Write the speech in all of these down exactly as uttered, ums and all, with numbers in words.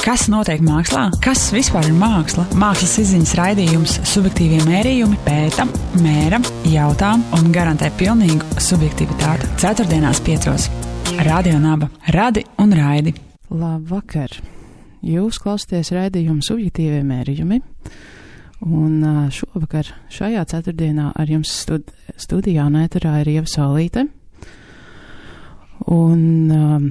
Kas notiek mākslā? Kas vispār ir māksla? Mākslas izziņas raidījums Subjektīvie mērījumi pēta, mēra, jautā un garantē pilnīgu subjektivitāti. Ceturtdienās piecos. Radio Naba. Radi un raidi. Labvakar! Jūs klausāties raidījumu Subjektīvie mērījumi. Un šovakar, šajā ceturtdienā ar jums stud- studijā un ēterā ir Ieva Saulīte. Un... Um,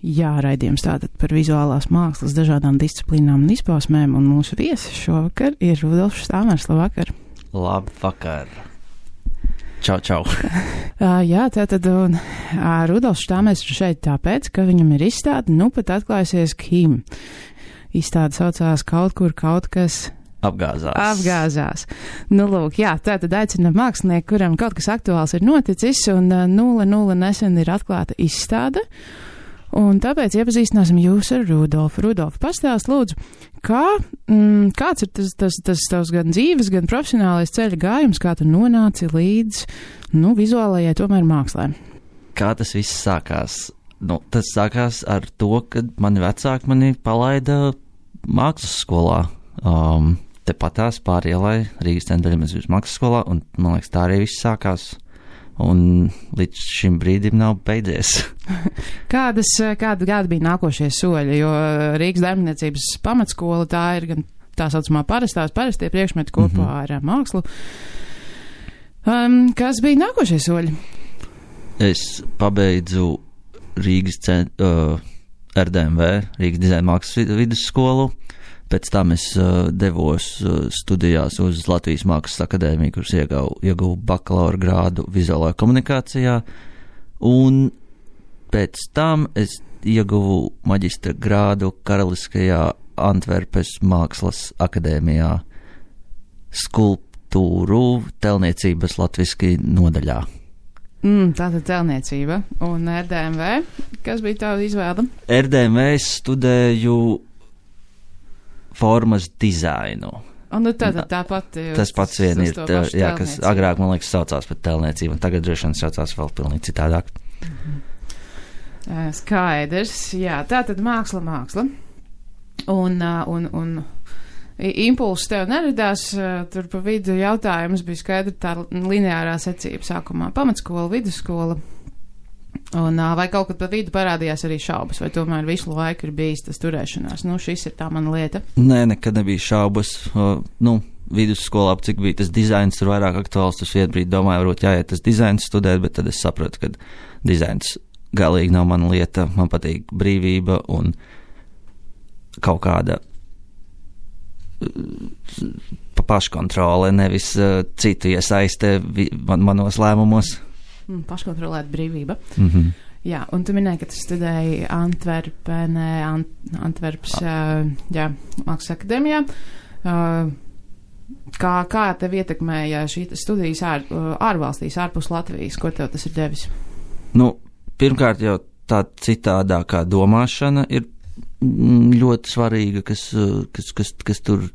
Jā, raidījums tātad par vizuālās mākslas dažādām disciplīnām un izpausmēm, un mūsu viesis šovakar ir Rudolfs Štāmers. Labvakar! Labvakar! Čau, čau! uh, jā, tātad un, uh, Rudolfs Štāmers ir šeit tāpēc, ka viņam ir izstāde, nu pat atklājusies Kim. Izstāde saucās kaut kur kaut kas... Apgāzās. Apgāzās. Nu, lūk, jā, tātad aicinam mākslinieku, kuram kaut kas aktuāls ir noticis, un uh, nulle nulle nesen ir atklāta izstāde. Un tāpēc iepazīstināsim jūs ar Rudolfu. Rudolfu, pastāst lūdzu, kā, mm, kāds ir tas, tas, tas tavs gan dzīves, gan profesionālais ceļa gājums, kā tu nonāci līdz, nu, vizuālajai tomēr mākslē? Kā tas viss sākās? Nu, tas sākās ar to, kad mani vecāki mani palaida mākslas skolā. Um, tepatās pāri ielai Rīgas Centra mākslas skolā, un, man liekas, tā arī viss sākās. Un līdz šim brīdim nav beidzies. Kādas, kāda, kāda bija nākošie soļi, jo Rīgas darbniecības pamatskola tā ir gan tā saucamā parastās, parastie priekšmeti kopā mm-hmm. ar mākslu. Um, kas bija nākošie soļi? Es pabeidzu Rīgas cent, uh, R D M V, Rīgas dizaina mākslas vidusskolu. Pēc tam es uh, devos uh, studijās uz Latvijas Mākslas akadēmiju, kuras ieguvu, ieguvu bakalaura grādu vizuālajā komunikācijā, un pēc tam es ieguvu maģistra grādu Karaliskajā Antverpes Mākslas akadēmijā skulptūru telniecības latviski nodaļā. Mm, tātad telniecība. Un R D M V, kas bija tava izvēle? R D M V es studēju formas dizainu. Un nu tātad tāpat... Tas pats vien ir, tā, jā, kas agrāk, man liekas, saucās par telniecību, un tagad droši vien saucās vēl pilnīgi citādāk. Mm-hmm. Skaidrs, jā, tātad māksla, māksla. Un, un, un impulss tev neradās, tur pa vidu jautājums bija skaidri tā lineārā secība sākumā. Pamatskola, vidusskola. Un vai kaut kad pa vidu parādījās arī šaubas, vai tomēr visu laiku ir bijis tas turēšanās? Nu, šis ir tā mana lieta. Nē, nekad nebija šaubas. Uh, nu, vidusskolā, cik bija tas dizains, tur vairāk aktuāls, tas vienu brīdi domāju, varbūt jāiet tas dizains studēt, bet tad es sapratu, ka dizains galīgi nav mana lieta. Man patīk brīvība un kaut kāda uh, paškontrole, nevis uh, citu iesaiste man, manos lēmumos. Paškontrolēta brīvība. Mm-hmm. Jā, un tu minēji, ka tu studēji Antverpenē, Ant, Antverpas, uh, jā, Mākslas akadēmijā. Uh, kā, kā tev ietekmēja šī studijas ār, ārvalstīs, ārpus Latvijas? Ko tev tas ir devis? Nu, pirmkārt jau tā citādākā domāšana ir ļoti svarīga, kas, kas, kas, kas tur,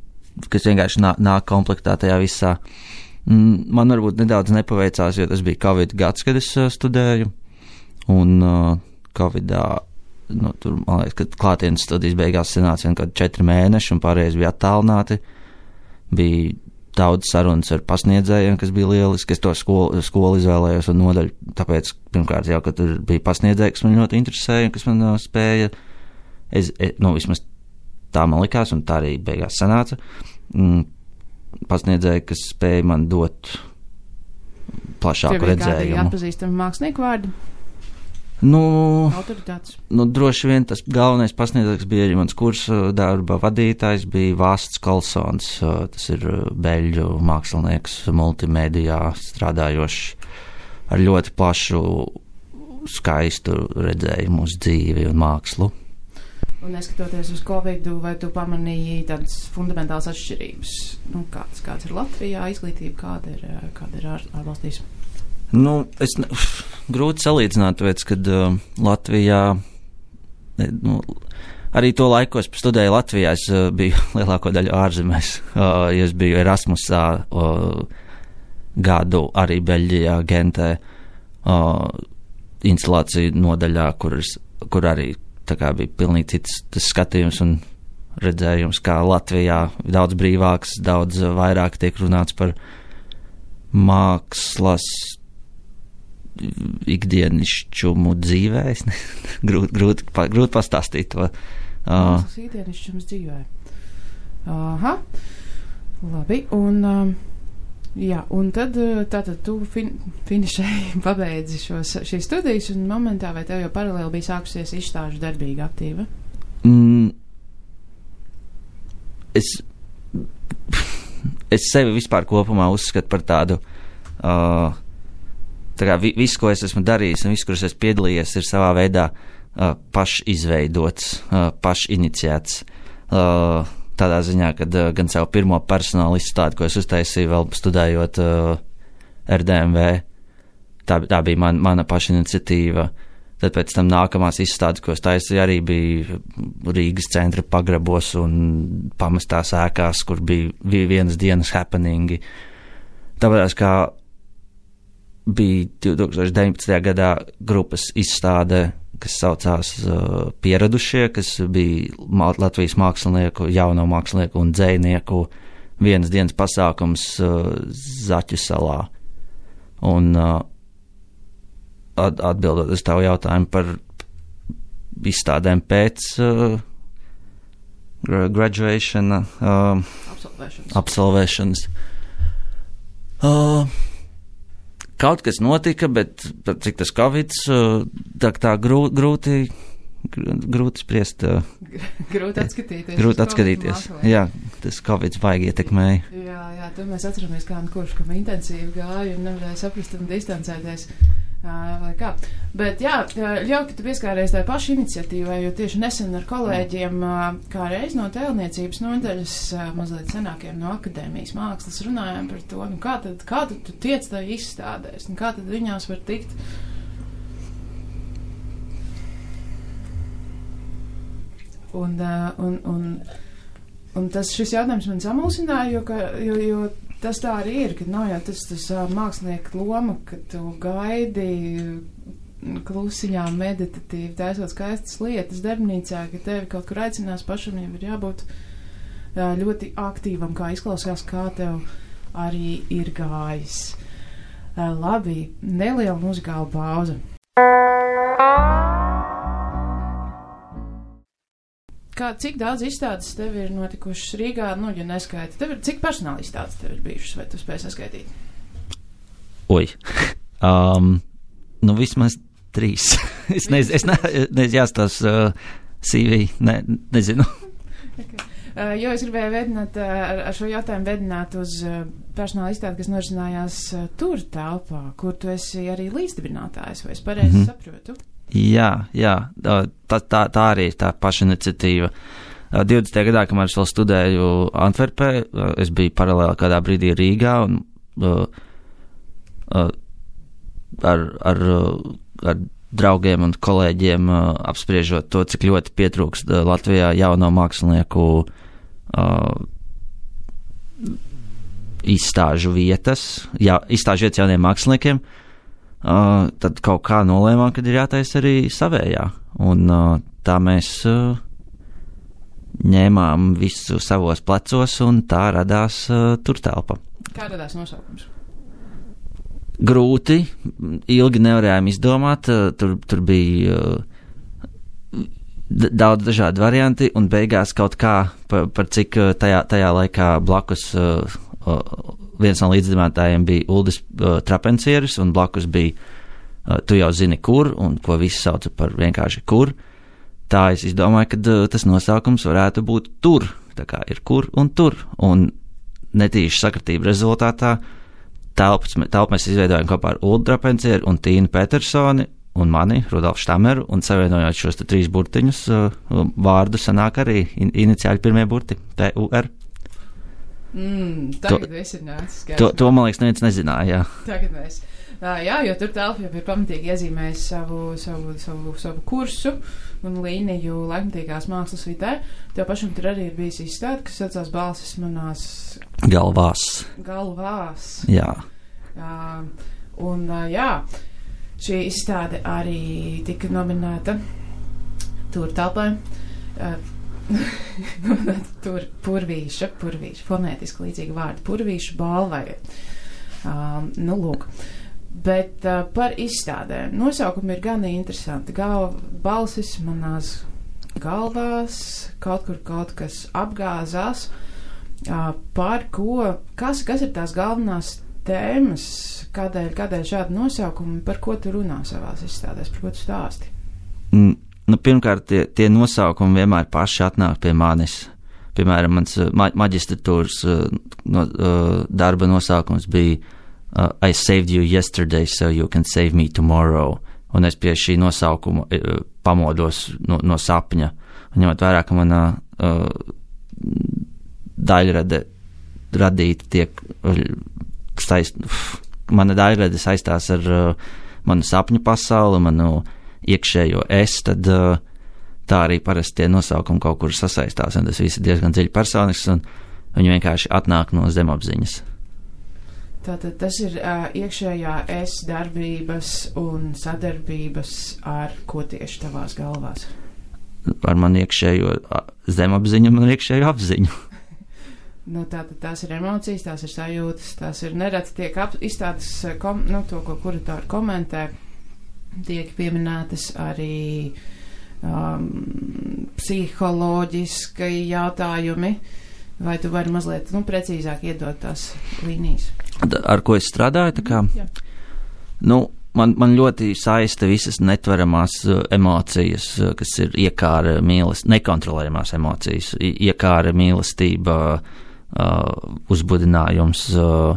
kas vienkārši nāk, nāk komplektā tajā visā. Man varbūt nedaudz nepaveicās, jo tas bija Covid gads, kad es uh, studēju, un uh, Covidā, nu, tur, man liekas, kad klātienes studijas beigās sanāca vien kādi četri mēneši, un pārējais bija attālināti. Bija daudz sarunas ar pasniedzējiem, kas bija lieliski, es to skolu, skolu izvēlējos un nodaļu, tāpēc, pirmkārt, jau, ka tur bija pasniedzēji, kas man ļoti interesēja, kas man uh, spēja, es, es, nu, vismaz tā man likās, un tā arī beigās sanāca. Mm, pasniedzēji, kas spēja man dot plašāku redzējumu. Tev ir kādi atpazīstami mākslinieku vārdi? Nu, autoritātes? Nu, droši vien tas galvenais pasniedzējs bija arī mans kursa darba vadītājs, bija Vāsts Kolsons, tas ir beļģu mākslinieks, multimēdijā strādājošs ar ļoti plašu, skaistu redzējumu uz dzīvi un mākslu. Un neskatoties uz Covidu, vai tu pamanīji tādas fundamentālas atšķirības? Nu, kāds, kāds ir Latvijā izglītība, kāda ir, kāda ir ār, ārvalstīs? Nu, es ne, grūti salīdzināt, tāpēc, kad uh, Latvijā, nu, arī to laiku, es studēju Latvijā, es uh, biju lielāko daļu ārzemēs, uh, es biju Erasmusā uh, gadu arī Beļģijā, Gentē, uh, instalāciju nodaļā, kur, es, kur arī tā kā bija pilnīgi cits tas skatījums un redzējums, kā Latvijā daudz brīvāks, daudz vairāk tiek runāts par mākslas ikdienišķumu dzīvē. grūti, grūti, grūti pastāstīt to. Mākslas ikdienišķums dzīvē. Aha, labi, un... Um, jā, un tad tātad tu fin, finišēji pabeidzi šos, šīs studijas, un momentā vai tev jau paralēli bija sākusies izstāžu darbīga aktīva? Mm, es, es sevi vispār kopumā uzskatu par tādu, uh, tā kā vi, viss, ko es esmu darījis un viss, kur es esmu piedalījies, ir savā veidā uh, pašizveidots, uh, pašiniciēts. Uh, Tādā ziņā, kad uh, gan savu pirmo personālu izstādi, ko es uztaisīju vēl studējot uh, R D M V, tā, tā bija man, mana pašiniciatīva. Tad pēc tam nākamās izstādes, ko es taisīju, arī bija Rīgas centra pagrabos un pamestās ēkās, kur bija, bija vienas dienas happeningi. Tāpēc kā bija divtūkstoš deviņpadsmitajā gadā grupas izstāde, kas saucās uh, Pieradušie, kas bija Latvijas mākslinieku, jauno mākslinieku un dzejnieku vienas dienas pasākums uh, Zaķu salā. Un uh, at, atbildot uz tavu jautājumu par izstādēm pēc uh, graduation, uh, absolvēšanas. absolvēšanas. Uh, Kaut kas notika, bet cik tas Covids, tā, tā grū, grūti, grūti spriest. Grūti atskatīties. Grūti atskatīties. Jā, tas Covids baigi ietekmēja. Jā, jā, tur mēs atceramies, kā un kurš, kam intensīvi gāja un nevarēja saprast un distancēties. Vai kā. Bet jā, ļauj, ka tu pieskāries tai paši iniciatīvai, jo tieši nesen ar kolēģiem, kā reiz no tēlniecības nodaļas, mazliet senākiem no akadēmijas mākslas runājām par to, nu kā tad, kā tad tu tiec tai izstādēs, un kā tad viņās var tikt. Un, un, un, un tas šis jautājums man samulsināja, jo, ka, jo, jo tas tā arī ir, ka nav jau tas, tas mākslinieka loma, ka tu gaidi klusiņā meditatīvi, taisot skaistas lietas darbnīcā, ka tevi kaut kur aicinās, pašam jau ir jābūt ļoti aktīvam, kā izklausās, kā tev arī ir gājis. Labi, neliela muzikāla pauze. Kā, cik daudz izstādes tev ir notikušas Rīgā, nu, ja neskaiti? Tev ir, cik personāla izstādes tev ir bijušas, vai tu spēj saskaitīt? Oi. Um, nu, vismaz trīs. es nezinu, es ne, ne, jāstās uh, C V, ne, nezinu. Okay. Uh, jo es gribēju vedināt, uh, ar, ar šo jautājumu vedināt uz uh, personāla izstādi, kas norisinājās uh, tur telpā, kur tu esi arī līdzdibinātājs, vai es pareizi mm-hmm. saprotu? Jā, jā, tā, tā, tā arī ir tā paša iniciatīva. divdesmitajā gadā, kamēr es vēl studēju Antverpē, es biju paralēli kādā brīdī Rīgā un uh, uh, ar, ar, ar draugiem un kolēģiem uh, apspriežot to, cik ļoti pietrūkst uh, Latvijā jauno mākslinieku uh, izstāžu vietas, jā, izstāžu vietas jauniem māksliniekiem. Uh, tad kaut kā nolēmām, kad ir jātaisa arī savējā. Un uh, tā mēs uh, ņēmām visu savos plecos, un tā radās uh, tur telpa. Kā radās nosaukums? Grūti, ilgi nevarējām izdomāt, uh, tur, tur bija uh, d- daudz dažādi varianti, un beigās kaut kā, par, par cik uh, tajā, tajā laikā blakus uh, uh, viens no līdzdibinātājiem bija Uldis uh, Trapencieris, un blakus bija uh, tu jau zini kur, un ko visi sauca par vienkārši kur. Tā es izdomāju, ka uh, tas nosaukums varētu būt tur, tā kā ir kur un tur, un netīša sakritība rezultātā telpas, telpu mēs izveidojam kopā ar Uldu Trapencieru un Tīnu Petersoni un mani, Rudolfu Štameru, un savienojot šos te trīs burtiņus, uh, vārdu sanāk arī in, iniciāļi pirmie burti, T U R. Mm, tagad to, viss ir nācis. To, to, man liekas, neviens nezināja, jā. Tagad mēs. Uh, jā, jo tur telpa jau ir pamatīgi iezīmējis savu, savu, savu, savu kursu un līniju laikmatīgās mākslas vidē. Tev pašam tur arī ir bijis izstāde, kas saucās Balsis manās... Galvās. Galvās. Jā. Uh, un, uh, jā, šī izstāde arī tika nominēta tur telpai. Uh, tur purvīša, purvīša, fonētiski līdzīgi vārdi, purvīša balvai. Um, nu, lūk. Bet uh, par izstādēm. Nosaukumi ir gan interesanti. Galva, balsis manās galvās, kaut kur kaut kas apgāzās. Uh, par ko, kas, kas ir tās galvenās tēmas, kādēļ, kādēļ šādi nosaukumi, par ko tu runā savās izstādēs, par ko tu stāsti? Mm, nu, pirmkārt, tie, tie nosaukumi vienmēr paši atnāk pie manis. Piemēram, mans ma maģistratūras uh, no, uh, darba nosaukums bija uh, I saved you yesterday, so you can save me tomorrow. Un es pie šī nosaukuma uh, pamodos no, no sapņa. Un ņemot vērā, ka manā uh, daļrade radīta tiek saist, mana daļrade saistās ar uh, manu sapņu pasauli, manu iekšējo es, tad uh, tā arī parasti tie nosaukumi kaut kur sasaistās, un tas viss ir diezgan dziļi personisks, un viņi vienkārši atnāk no zemapziņas. Tātad tas ir uh, iekšējā es darbības un sadarbības ar ko tieši tavās galvās? Ar manu iekšējo zemapziņu un iekšējo apziņu. Nu, tātad tās ir emocijas, tās ir sajūtas, tās ir nereti tiek ap, izstādes, kom, nu, to, ko kuratori komentē, tiek pieminētas arī um, psiholoģiskai jautājumi, vai tu vari mazliet, nu, precīzāk iedot tās līnijas? Ar ko es strādāju, tā kā, Jā. nu, man, man ļoti saista visas netveramās uh, emocijas, uh, kas ir iekāra mīlestība, nekontrolējamās emocijas, iekāra mīlestība, Uh, uzbudinājums uh,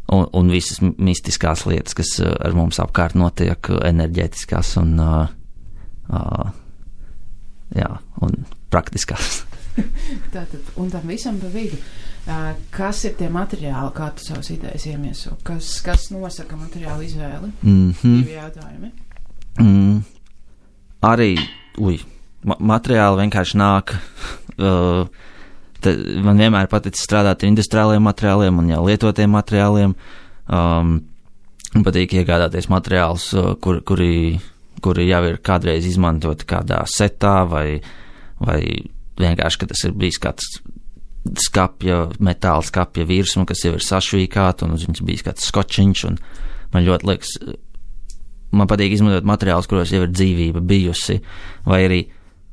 un, un visas mistiskās lietas, kas uh, ar mums apkārt notiek, uh, enerģētiskās un, uh, uh, jā, un praktiskās. Tātad, un tam visam pa vidu, uh, kas ir tie materiāli, kā tu savas idejas iemieso? Kas, kas nosaka materiālu izvēli? Mm-hmm. Divi jautājumi. Mm, arī, uj, ma materiāli vienkārši nāk. Uh, Tad man vienmēr paticis strādāt ar industriāliem materiāliem un jau lietotiem materiāliem. Um, patīk iegādāties materiālus, kur, kuri, kuri jau ir kādreiz izmantoti kādā setā vai, vai vienkārši, ka tas ir bijis kāds skapja, metāla skapja virsma, kas jau ir sašvīkāta un uz viņas bijis kāds skočiņš. Un man ļoti liekas, man patīk izmantot materiālus, kuros jau ir dzīvība bijusi, vai arī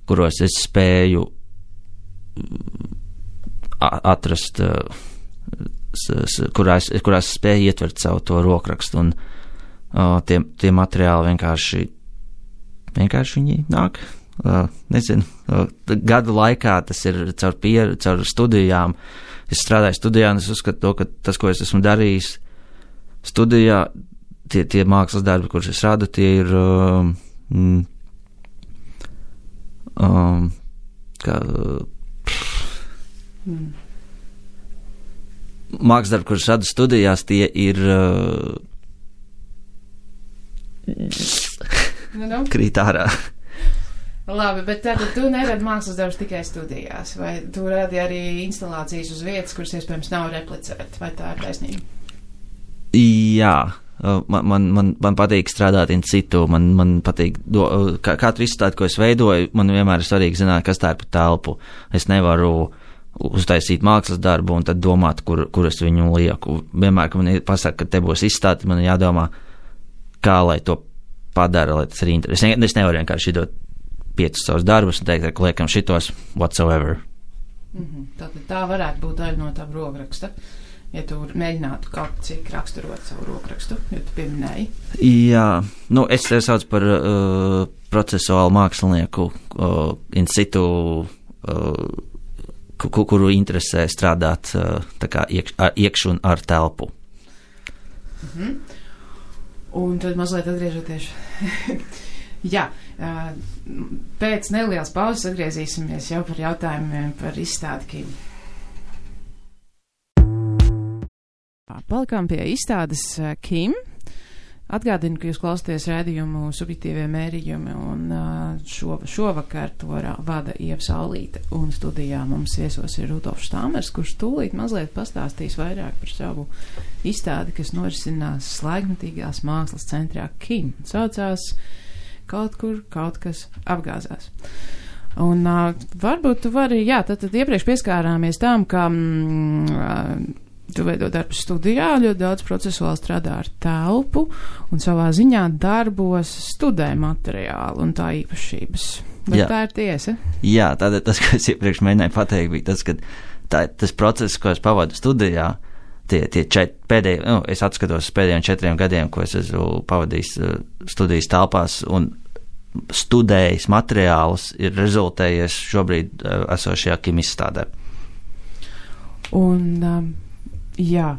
kuros es spēju atrast, kurās, kurās spēja ietvert savu to rokrakstu, un uh, tie, tie materiāli vienkārši, vienkārši viņi nāk, uh, nezinu, uh, gadu laikā tas ir caur, pier, caur studijām, es strādāju studijā, un es uzskatu to, ka tas, ko es esmu darījis studijā, tie, tie mākslas darbi, kurus es radu, tie ir uh, mm, um, kā Mm. mākslas darbi, kurus radu studijās, tie ir uh, nu, nu. krīt ārā. Labi, bet tātad tu neradi mākslas darbus tikai studijās, vai tu radi arī instalācijas uz vietas, kuras iespējams nav replicēt, vai tā ir taisnība? Jā, man, man, man, man patīk strādāt in situ, man, man patīk, do, katru izstādi, ko es veidoju, man vienmēr ir svarīgi zināt, kas tā ir pa telpu. Es nevaru uztaisīt mākslas darbu un tad domāt, kur, kur es viņu lieku. Vienmēr, kad man pasaka, ka te būs izstāde, man jādomā, kā lai to padara, lai tas ir interesanti. Es nevaru vienkārši dot piecus savus darbus un teikt, ka liekam šitos whatsoever. Mm-hmm. Tātad tā varētu būt daļa no tā rokraksta, ja tu mēģinātu kaut cik raksturot savu rokrakstu, jo tu pieminēji. Jā, nu es te sauc par uh, procesuālu mākslinieku uh, in situ, uh, kuru interesē strādāt tā kā iekš, ar, iekš un ar telpu. Mhm. Un tad mazliet atgriežoties. Jā, pēc nelielas pauzes atgriezīsimies jau par jautājumiem par izstādi Kim. Palikām pie izstādes Kim. Atgādinu, ka jūs klausāties raidījumu Subjektīvie mērījumi, un šo, šovakar to vada Ieva Saulīte, un studijā mums viesos ir Rudolfs Štāmers, kurš tūlīt mazliet pastāstīs vairāk par savu izstādi, kas norisinās Laikmetīgās mākslas centrā Kim. Saucās kaut kur kaut kas apgāzās. Un uh, varbūt tu vari, jā, tad, tad iepriekš pieskārāmies tām, ka mm, tu veido darbu studijā, ļoti daudz procesuāli strādā ar telpu un savā ziņā darbos studē materiālu un tā īpašības. Bet jā. Tā ir tiesa? Jā, tātad tas, ko es iepriekš mēģināju pateikt, bija tas, ka tā, tas process, ko es pavadu studijā, tie, tie čet, pēdējie, nu, es atskatos pēdējiem četriem gadiem, ko es esmu pavadījis studijas telpās un studējis materiālus, ir rezultējies šobrīd esošajā kimizstādē. Un... Um, Jā,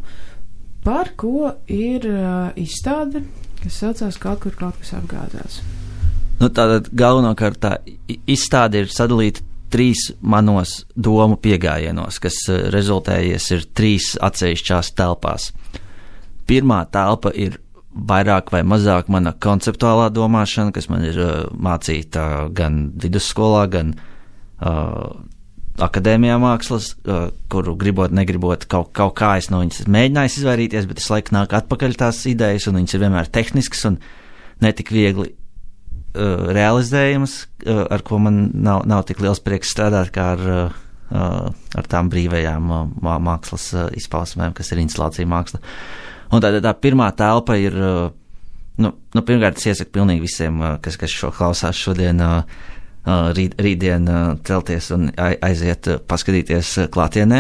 par ko ir uh, izstāde, kas saucās kaut kur kaut kas apgāzās? Nu, tātad galvenokārt tā izstāde ir sadalīta trīs manos domu piegājienos, kas uh, rezultējies ir trīs atsevišķās telpās. Pirmā telpa ir vairāk vai mazāk mana konceptuālā domāšana, kas man ir uh, mācīta gan vidusskolā, gan uh, akadēmijā mākslas, uh, kuru gribot, negribot, kaut, kaut kā es no viņas mēģinājis izvairīties, bet es laiku nāk atpakaļ tās idejas, un viņas ir vienmēr tehniskas un netik viegli uh, realizējamas, uh, ar ko man nav, nav tik liels prieks strādāt, kā ar, uh, ar tām brīvajām uh, mākslas uh, izpausmēm, kas ir instalācija māksla. Un tā, tā pirmā telpa ir, uh, nu, nu, pirmkārt, es iesaku pilnīgi visiem, uh, kas, kas šo klausās šodien, uh, Uh, rīt, rītdien uh, celties un aiziet uh, paskatīties uh, klātienē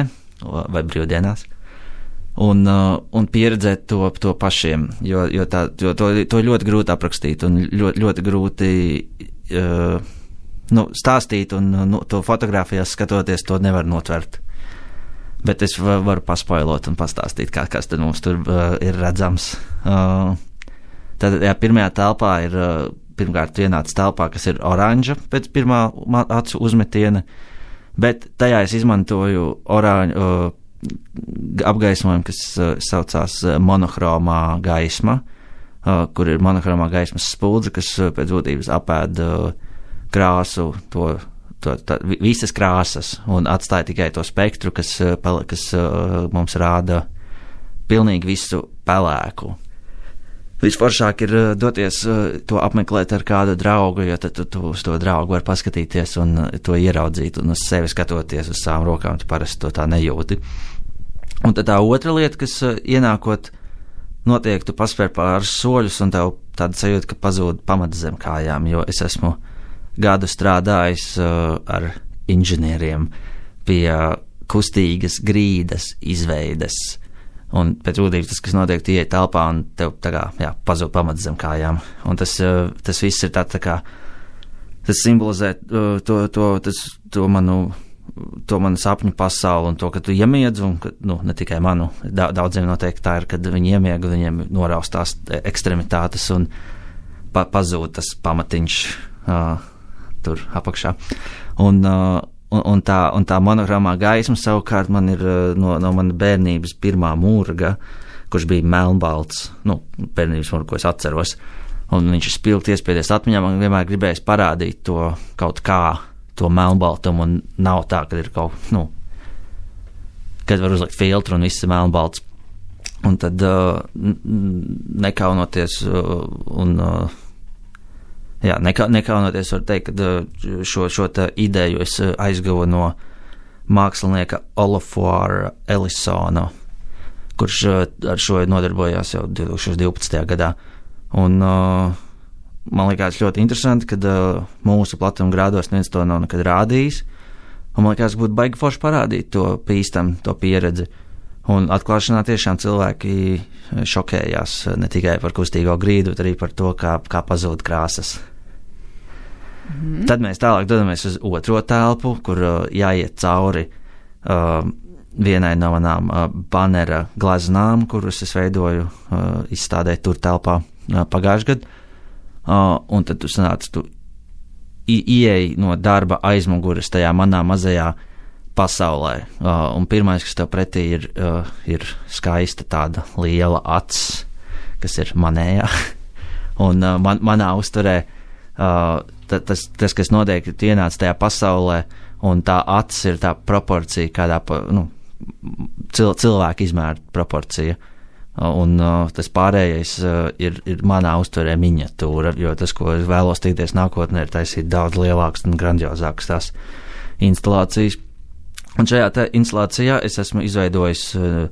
vai brīvdienās un, uh, un pieredzēt to, to pašiem, jo, jo, tā, jo to, to ļoti grūti aprakstīt un ļoti, ļoti grūti uh, nu, stāstīt un nu, to fotogrāfijās skatoties to nevar notvert. Bet es varu paspoilot un pastāstīt, kā, kas tad mums tur uh, ir redzams. Uh, tad, jā, pirmajā telpā ir uh, pirmkārt ienāca telpā, kas ir oranža pēc pirmā acu uzmetiena, bet tajā es izmantoju oranžu uh, apgaismojumu, kas uh, saucās uh, monohromā gaisma, uh, kur ir monohromā gaismas spuldze, kas uh, pēc būtības apēd uh, krāsu, to, to, tā, visas krāsas un atstāja tikai to spektru, kas, uh, kas uh, mums rāda pilnīgi visu pelēku. Visforšāk ir doties to apmeklēt ar kādu draugu, jo tad tu, tu uz to draugu var paskatīties un to ieraudzīt, un uz sevi skatoties uz savām rokām, tu parasti to tā nejūti. Un tad tā otra lieta, kas ienākot, notiek, tu paspēr pāris soļus, un tev tāda sajūta, ka pazūd pamats zem kājām, jo es esmu gadu strādājis uh, ar inženieriem pie kustīgas grīdas izveides. Un pēc būtības tas, kas notiek, tu ieej telpā un tev tā kā, jā, pazūd pamats zem kājām. Un tas, tas viss ir tā, tā kā, tas simbolizē to, to, tas, to manu, to manu sapņu pasauli un to, ka tu iemiedz un, ka, nu, ne tikai manu, daudziem noteikti tā ir, kad viņi iemiega, viņiem noraustās ekstremitātes un pa, pazūd tas pamatiņš uh, tur apakšā. Un, uh, Un, un, tā, un tā monogramā gaisma savukārt man ir no, no mana bērnības pirmā mūrga, kurš bija melnbalts, nu, bērnības mūrga, ko es atceros, un viņš ir spilgti iespiedies atmiņā, man vienmēr gribējis parādīt to kaut kā, to melnbaltumu, un nav tā, ka ir kaut, nu, kad var uzlikt filtru un viss ir melnbalts, un tad uh, nekaunoties uh, un uh, Jā, nekā, nekaunoties var teikt, ka šo, šo tā ideju es aizguvu no mākslinieka Olafuara Ellisona, kurš ar šo nodarbojās jau divi tūkstoši divpadsmitajā gadā. Un uh, man likās ļoti interesanti, ka uh, mūsu platuma grādos neviens to nav nekad rādījis, un man likās, ka būtu baigi forši parādīt to pīstam, to pieredzi. Un atklāšanā tiešām cilvēki šokējās ne tikai par kustīgo grīdu, bet arī par to, kā, kā pazūd krāsas. Mm-hmm. Tad mēs tālāk dodamies uz otro telpu, kur uh, jāiet cauri uh, vienai no manām uh, banera glaznām, kurus es veidoju uh, izstādē tur telpā uh, pagājušajā gadā. Uh, un tad tu sanāc, tu ieej no darba aizmuguras tajā manā mazajā pasaulē, uh, un pirmais, kas tev pretī ir, uh, ir skaista tāda liela acs, kas ir manējā, un uh, man, manā uzturē uh, ta, tas, tas, kas notiek, tu ienāc tajā pasaulē, un tā acs ir tā proporcija, kādā, pa, nu, cil, cilvēka izmēra proporcija, Un uh, tas pārējais uh, ir, ir manā uztverē miniatūra, jo tas, ko es vēlos tikties nākotnē, ir taisīt daudz lielākas un grandiozākas tās instalācijas. Un šajā te instalācijā es esmu izveidojis, uh,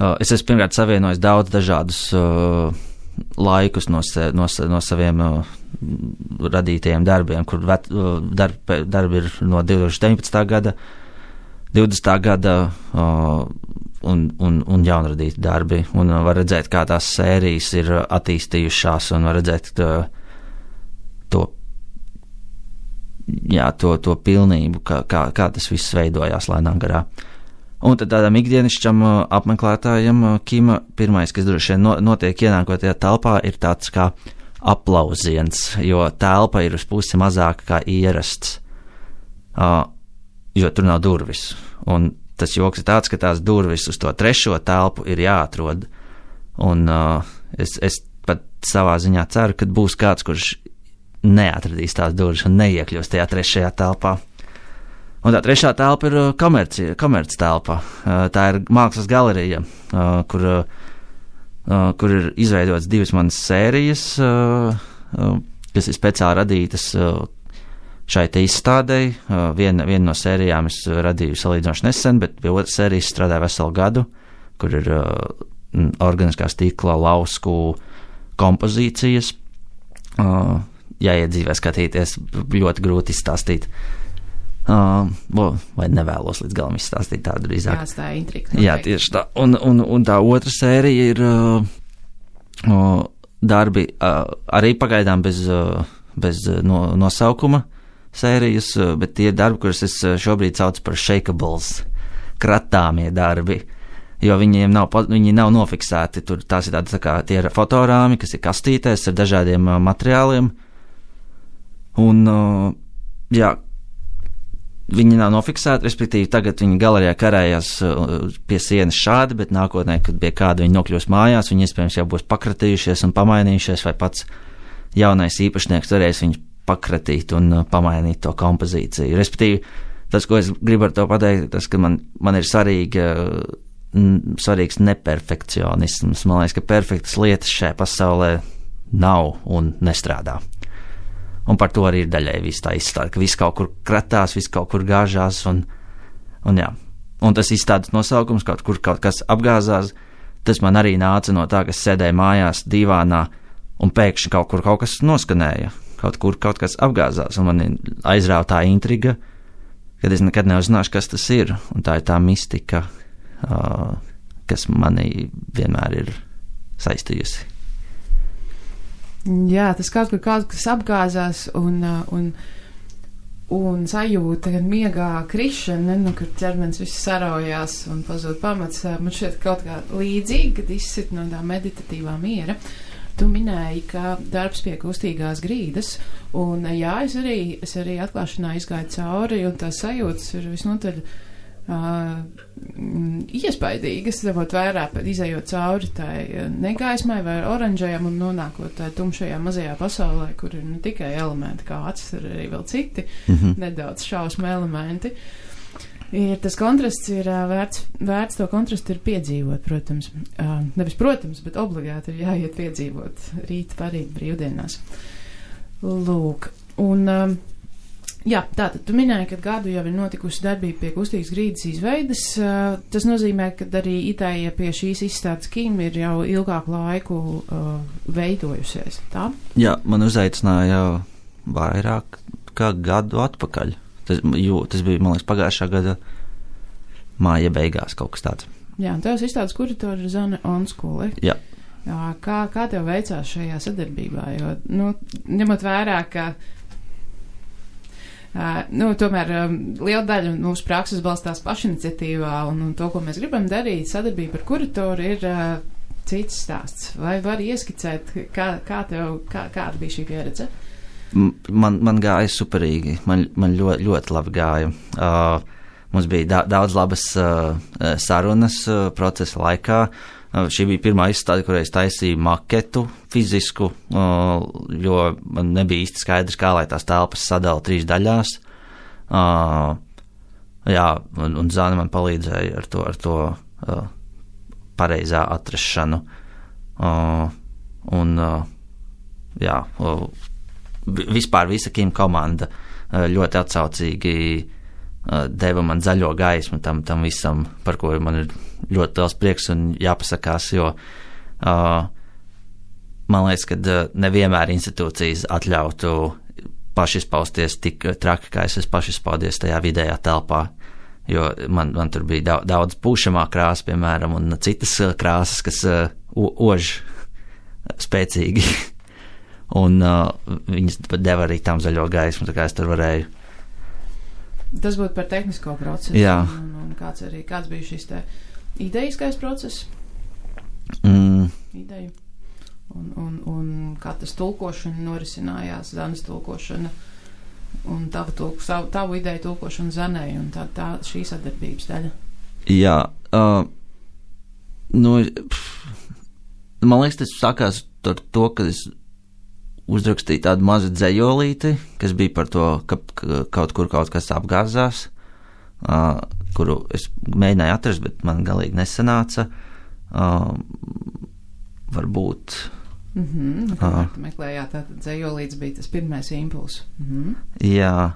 uh, es esmu pirmkārt savienojis daudz dažādus uh, laikus no, se, no, no saviem uh, radītajiem darbiem, kur vet, uh, darb, darbi ir no divtūkstoš deviņpadsmitā gada, divdesmitā gada uh, un, un, un jaunradīti darbi, un uh, var redzēt, kā tās sērijas ir attīstījušās, un var redzēt uh, to, jā, to, to pilnību, kā, kā, kā tas viss veidojās lēnām garā. Un tad tādam ikdienišķam uh, apmeklētājam uh, kima pirmais, kas droši vien no, notiek ienākot tajā telpā, ir tāds kā aplausiens, jo telpa ir uz pusi mazāka kā ierasts, uh, jo tur nav durvis. Un tas joks ir tāds, ka tās durvis uz to trešo telpu ir jāatrod. Un uh, es, es pat savā ziņā ceru, ka būs kāds, kurš neatradīs tās durvis un neiekļūs tajā trešajā telpā. Un tā trešā telpa ir komerci, komerci telpa. Uh, tā ir mākslas galerija, uh, kur, uh, kur ir izveidotas divas manas sērijas, uh, uh, kas ir speciāli radītas uh, šai te izstādei. Uh, viena, viena no sērijām es radīju salīdzinoši nesen, bet pie otras sērijas strādāju veselu gadu, kur ir uh, organiskā stikla lausku kompozīcijas. Uh, jāiedzīvē skatīties, ļoti grūti izstāstīt. Uh, vai nevēlos līdz galam izstāstīt tādu drīzāk. Jā, tā ir intriga. Jā, tieši tā. Un, un, un tā otra sērija ir uh, uh, darbi uh, arī pagaidām bez, uh, bez uh, no, nosaukuma sērijas, uh, bet tie darbi, kurus es šobrīd saucu par shakables, kratāmie darbi, jo viņiem nav, viņi nav nofiksēti. Tur tās ir tādi, tā kā tie ir fotorāmi, kas ir kastītēs ar dažādiem uh, materiāliem. Un, uh, jā, viņi nav nofiksēti, respektīvi tagad viņi galerijā karājās uh, pie sienas šādi, bet nākotnē, kad pie kāda viņi nokļūs mājās, viņi iespējams jau būs pakratījušies un pamainījušies, vai pats jaunais īpašnieks varēs viņus pakratīt un uh, pamainīt to kompozīciju. Respektīvi, tas, ko es gribu ar to pateikt, tas, ka man, man ir svarīga, n, svarīgs neperfekcionisms. Man liekas, ka perfektas lietas šajā pasaulē nav un nestrādā. Un par to arī ir daļai viss tā izstāde, ka viss kaut kur kratās, viss kaut kur gāžās, un, un jā. Un tas izstādes nosaukums, kaut kur kaut kas apgāzās, tas man arī nāca no tā, ka sēdēju mājās divānā, un pēkšņi kaut kur kaut kas noskanēja, kaut kur kaut kas apgāzās, un man aizrāva tā intriga, kad es nekad neuzzināšu, kas tas ir, un tā ir tā mistika, uh, kas mani vienmēr ir saistījusi. Jā, tas kaut kur kaut kas apgāzās un, un, un sajūta, kad miegā krišana, nu, kad ķermenis viss saraujās un pazūd pamats, man šķiet kaut kā līdzīgi, kad izsit no tā meditatīvā miera. Tu minēji, ka darbs pie kustīgās grīdas, un jā, es arī, es arī atklāšanā izgāju cauri, un tās sajūtas ir visnotaļ Uh, iespaidīgas, ņemot vērā, izejot cauri tai negaismai vai oranžajam un nonākot tai tumšajā mazajā pasaulē, kur ir ne tikai elementi kā acis, ir arī vēl citi mm-hmm. nedaudz šausmu elementi. Ir, tas kontrasts ir uh, vērts, vērts to kontrastu ir piedzīvot, protams. Uh, nevis protams, bet obligāti ir jāiet piedzīvot rīt, parīt, brīvdienās. Lūk, un um, jā, tātad tu minēji, ka gadu jau ir notikusi darbība pie kustīgas grīdas izveides. Uh, tas nozīmē, ka arī Itālija pie šīs izstādes Kim ir jau ilgāku laiku uh, veidojusies, tā? Jā, man uzaicināja jau vairāk kā gadu atpakaļ. Tas, jū, tas bija, man liekas, pagājušā gada māja beigās kaut kas tāds. Jā, un tevs izstādes kuratora ir Zane Onskule. Jā. Jā, kā, kā tev veicās šajā sadarbībā? Jo, nu, ņemot vērā, ka Uh, nu, tomēr um, liela daļa mūsu prakses balstās pašiniciatīvā un, un to, ko mēs gribam darīt, sadarbība ar kuratoru ir uh, cits stāsts. Vai var ieskicēt, kā, kā tev, kā, kāda bija šī pieredze? Man, man gāja superīgi, man, man ļoti, ļoti labi gāja. Uh, mums bija da, daudz labas uh, sarunas uh, procesa laikā. Uh, šī bija pirmā izstāde, kurā es taisīju maketu fizisku, uh, jo man nebija īsti skaidrs, kā lai tās telpas sadala trīs daļās. Uh, jā, un, un Zana man palīdzēja ar to, ar to uh, pareizā atrašanu. Uh, un, uh, jā, uh, vispār visa Kim komanda uh, ļoti atsaucīgi uh, deva man zaļo gaismu tam, tam visam, par ko man ir ļoti liels prieks un jāpasakās, jo uh, man liekas, ka uh, nevienmēr institūcijas atļautu pašizpausties tik traki, kā es esmu pašizpaudies tajā vidējā telpā, jo man, man tur bija daudz, daudz pūšamā krāsa, piemēram, un citas uh, krāsas, kas uh, ož spēcīgi, un uh, viņas deva arī tam zaļo gaismu, tā kā es tur varēju. Tas būtu par tehnisko procesu. Jā. Un, un kāds arī, kāds bija šis te idejiskais process? Mm. Ideju. Un, un, un kā tas tulkošana norisinājās, Zanes tulkošana un tava tulk, savu, tavu ideju tulkošana Zanei un tā, tā šī sadarbības daļa. Jā, uh, nu, pff, man liekas, tas sākās ar to, ka es uzrakstīju tādu mazu dzejolīti, kas bija par to, ka, ka kaut kur kaut kas apgāzās, uh, kuru es mēģināju atrast, bet man galīgi nesanāca. Uh, varbūt. Mhm, uh, tu meklējāt, tātad dzejolīts bija tas pirmais impulss. Mhm. Jā.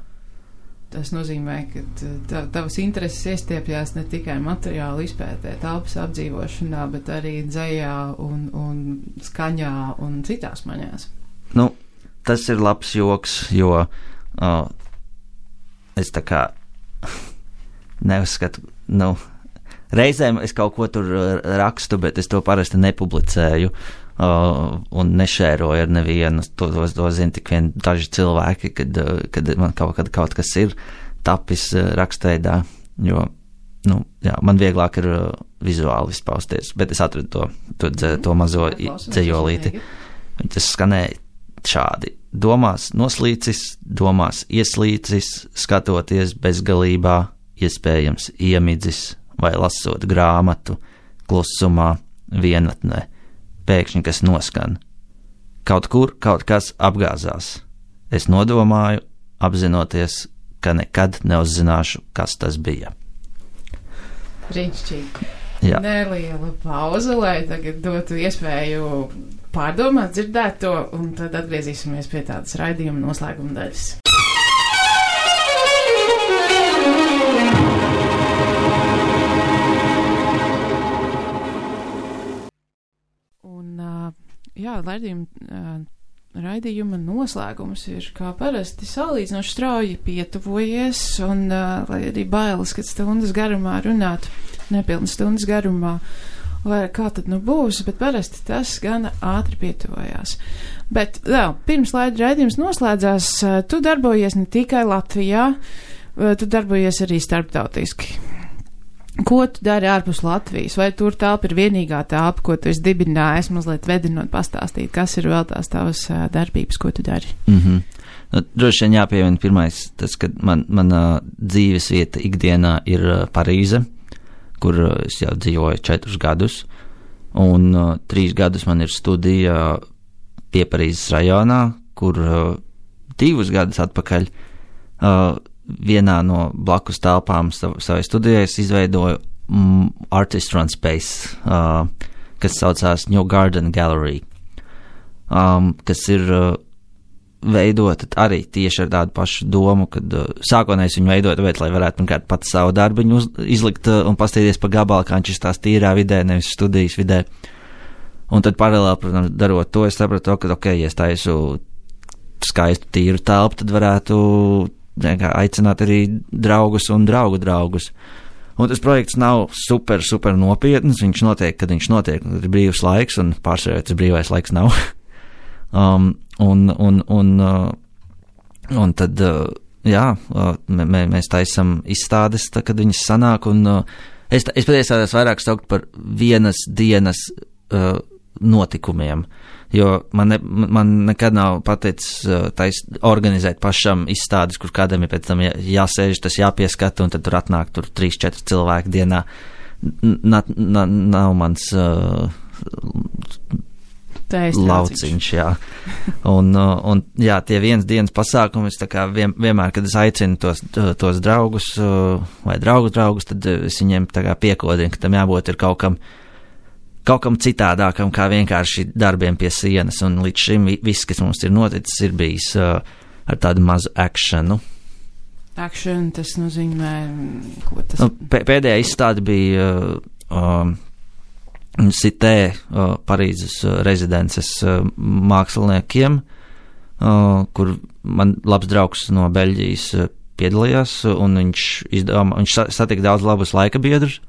Tas nozīmē, ka tā, tavas intereses iestiepjās ne tikai materiālu izpētē, telpas apdzīvošanā, bet arī dzejā un, un skaņā un citās maņās. Nu, tas ir labs joks, jo uh, es tā kā neuzskatu, nu, reizēm es kaut ko tur rakstu, bet es to parasti nepublicēju uh, un nešēroju ar nevienu. To, to, to zina tik vien daži cilvēki, kad, kad man kaut, kad kaut kas ir tapis rakstveidā, jo, nu, jā, man vieglāk ir uh, vizuāli izpausties, bet es atradu to, to, dze, to mazo dzejolīti. Tas skanēja šādi. Domās noslīcis, domās ieslīcis, skatoties bezgalībā, iespējams iemidzis vai lasot grāmatu, klusumā, vienatnē, pēkšņi kas noskan. Kaut kur kaut kas apgāzās. Es nodomāju, apzinoties, ka nekad neuzzināšu, kas tas bija. Brīnišķīgi. Jā. Neliela pauze, lai tagad dotu iespēju pārdomāt, dzirdēt to, un tad atgriezīsimies pie tādas raidījuma noslēguma daļas. Un, jā, raidījuma, raidījuma noslēgums ir kā parasti salīdzinoši strauji pietuvojies, un lai arī bailes, kad stundas garumā runāt, nepilnas stundas garumā, vai kā tad nu būs, bet parasti tas gana ātri pietuvojās. Bet vēl, pirms laida raidījums noslēdzās, tu darbojies ne tikai Latvijā, tu darbojies arī starptautiski. Ko tu dari ārpus Latvijas? Vai tur telpa ir vienīgā telpa, ko tu esi dibinājis, mazliet vedinot pastāstīt, kas ir vēl tās tavas darbības, ko tu dari? Mm-hmm. Nu, droši vien jāpieviena pirmais, tas, ka man, mana dzīves vieta ikdienā ir Parīze, kur es jau dzīvoju četrus gadus, un uh, trīs gadus man ir studija pie Parīzes rajonā, kur uh, divus gadus atpakaļ uh, vienā no blakus telpām sav, savai studijai es izveidoju mm, Artist Run Space, uh, kas saucās New Garden Gallery, um, kas ir uh, veidot arī tieši ar tādu pašu domu, kad uh, sākotnēs viņu veidot, bet lai varētu pirmkārt pats savu darbiņu uz, izlikt uh, un pastīties pa gabalu, kā viņš ir tās tīrā vidē, nevis studijas vidē. Un tad paralēli, protams, darot to, es sapratu, ka, ok, ja es taisu skaistu tīru telpu, tad varētu kā, aicināt arī draugus un draugu draugus. Un tas projekts nav super, super nopietns, viņš notiek, kad viņš notiek, kad ir brīvs laiks, un pārsvarā tas brīvais laiks nav. um, Un, un, un, uh, un tad, uh, jā, uh, mē, mēs taisam izstādes, tā, kad viņas sanāk, un uh, es, es patiesībā vairāk saukt par vienas dienas uh, notikumiem, jo man, ne, man nekad nav pateicis uh, tais, organizēt pašam izstādes, kur kādam ir pēc tam jā, jāsēž, tas jāpieskata, un tad tur atnāk tur trīs, četri cilvēki dienā. N, n, nav mans... Uh, lauciņš, jā. Un, un, jā, tie viens dienas pasākumi, es tā kā vien, vienmēr, kad es aicinu tos, tos draugus vai draugu draugus, tad es viņiem tā kā piekodinu, ka tam jābūt ir kaut kam kaut kam citādākam, kā vienkārši darbiem pie sienas, un līdz šim viss, kas mums ir noticis, ir bijis uh, ar tādu mazu akšanu. Action, tas nozīmē, ko tas... Nu, pēdējā izstāde bija uh, um, Cité, uh, Parīzes uh, rezidences uh, māksliniekiem, uh, kur man labs draugs no Beļģijas uh, piedalījās, un viņš, izdomā, viņš satika daudz labus laika biedrus,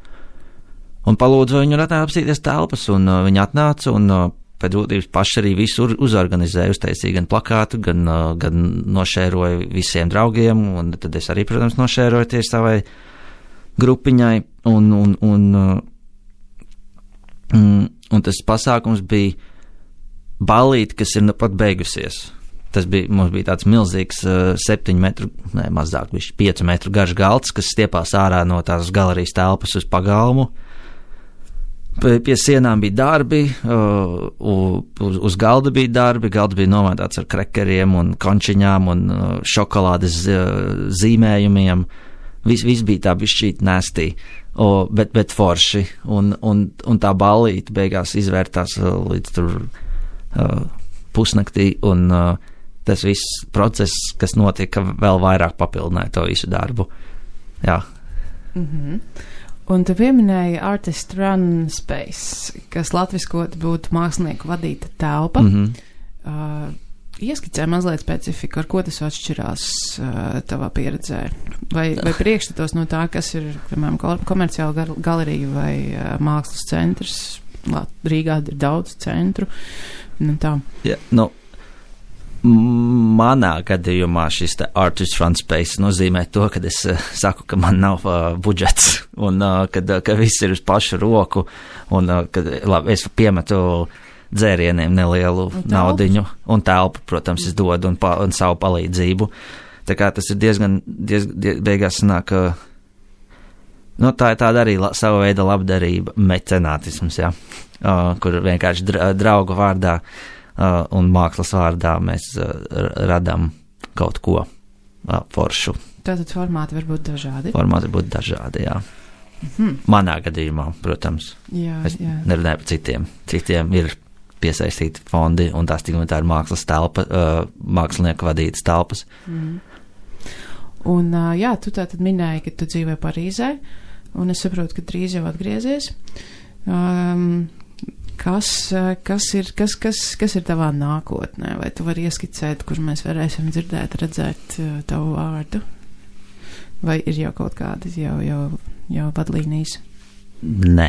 un palūdzu viņu apstīties telpas, un uh, viņi atnāca, un uh, pēc būtības paši arī visu uzorganizēja, uztaisīja gan plakātu, gan, uh, gan nošēroja visiem draugiem, un tad es arī, protams, nošēroju tieši savai grupiņai, un, un, un, uh, un, un tas pasākums bija ballīte, kas ir nu pat beigusies. Tas bija, mums bija tāds milzīgs uh, septiņu metru, ne, mazāk, viņš piecu metru garš galds, kas stiepās ārā no tās galerijas telpas uz pagalmu. Pie sienām bija darbi, uh, uz, uz galda bija darbi, galds bija nomētāts ar krekeriem un končiņām un uh, šokolādes uh, zīmējumiem. Viss vis bija tā bišķīt nestī, uh, bet, bet forši, un, un, un tā ballīte beigās izvērtās uh, līdz tur uh, pusnaktī, un uh, tas viss process, kas notika, vēl vairāk papildināja to visu darbu. Jā. Mhm. Un tu pieminēji Artist Run Space, kas latviskot būtu mākslinieku vadīta telpa. Mm-hmm. Uh, ieskicē mazliet specifiku, ar ko tas atšķirās uh, tavā pieredzē? Vai, vai priekšstatos no tā, kas ir, piemēram, komerciāla gal galerija vai uh, mākslas centrs? Rīgā ir daudz centru. Nu, tā. Yeah, no. Manā gadījumā šis te Artist Run Space nozīmē to, ka es uh, saku, ka man nav uh, budžets un uh, kad, uh, ka viss ir uz pašu roku un uh, kad, labi, es piemetu dzērieniem nelielu un naudiņu un telpu, protams, es dodu un, pa, un savu palīdzību. Tā kā tas ir diezgan, diez, diez, beigās sanāk, uh, nu, tā ir tāda arī la, sava veida labdarība, mecenātisms, jā, uh, kur vienkārši dra, draugu vārdā Uh, un mākslas vārdā mēs uh, radām kaut ko uh, foršu. Tātad formāti var būt dažādi? Formāti var būt dažādi, jā. Mm-hmm. Manā gadījumā, protams. Jā, es jā. nerunāju par citiem. Citiem ir piesaistīti fondi un tās tik un tā ir mākslas telpa, uh, mākslinieku vadītas telpas. Mm. Un uh, jā, tu tātad minēji, ka tu dzīvo Parīzē, un es saprotu, ka drīz jau atgriezies. Um, Kas, kas, ir, kas, kas, kas ir tavā nākotnē? Vai tu vari ieskicēt, kur mēs varēsim dzirdēt, redzēt tavu vārdu? Vai ir jau kaut kādas jau, jau, jau vadlīnijas? Nē,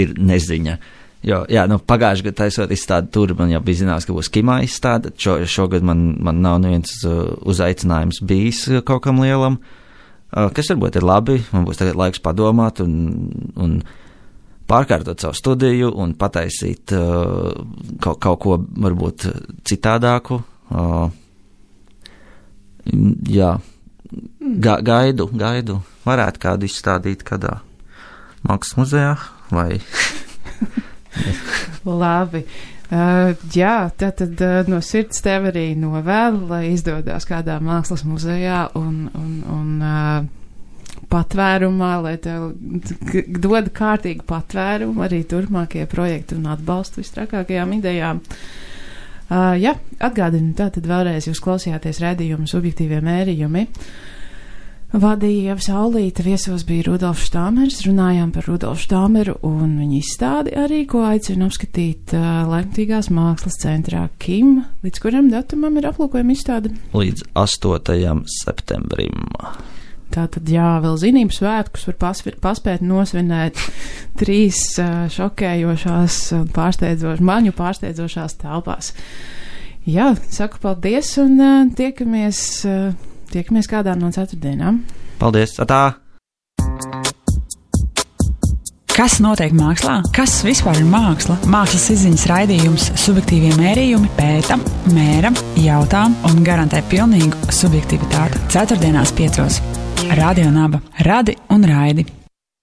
ir neziņa. Jo, jā, nu, pagājuši gadu taisot izstādi tur, man jau bija zināms, ka būs kimā izstāde. Šo, šogad man, man nav neviens uzaicinājums bijis kaut kam lielam, kas varbūt ir labi. Man būs tagad laiks padomāt un, un pārkārtot savu studiju un pataisīt uh, kaut, kaut ko varbūt citādāku. Uh, jā, Ga, gaidu, gaidu. Varētu kādu izstādīt kādā mākslas muzejā vai... Labi. Uh, jā, tātad uh, no sirds tev arī novēlu, lai izdodās kādā mākslas muzejā un, un, un uh, patvērumā, lai tev dod kārtīgu patvērumu arī turpmākie projekti un atbalstu vistrakākajām idejām. Uh, jā, atgādinu, tātad vēlreiz jūs klausījāties raidījumu Subjektīvie mērījumi. Vadīja Ieva Saulīte, viesos bija Rudolfs Štāmers, runājām par Rudolfu Štāmeru un viņa izstādi arī, ko aicinu apskatīt uh, Laikmatīgās mākslas centrā Kim, līdz kuram datumam ir aplūkojama izstāde? Līdz astotajam septembrim. Tātad, jā, vēl zinību svētkus var pasvi, paspēt nosvinēt trīs uh, šokējošās un pārsteidzošās, maņu pārsteidzošās telpās. Jā, saku paldies un uh, tiekamies, uh, tiekamies kādā no ceturtdienām. Paldies, atā! Kas notiek mākslā? Kas vispār ir māksla? Mākslas izziņas raidījums Subjektīvie mērījumi pēta, mēra, jautā un garantē pilnīgu subjektivitāti. Ceturtdienās piecos. Radio Naba. Radi un raidi.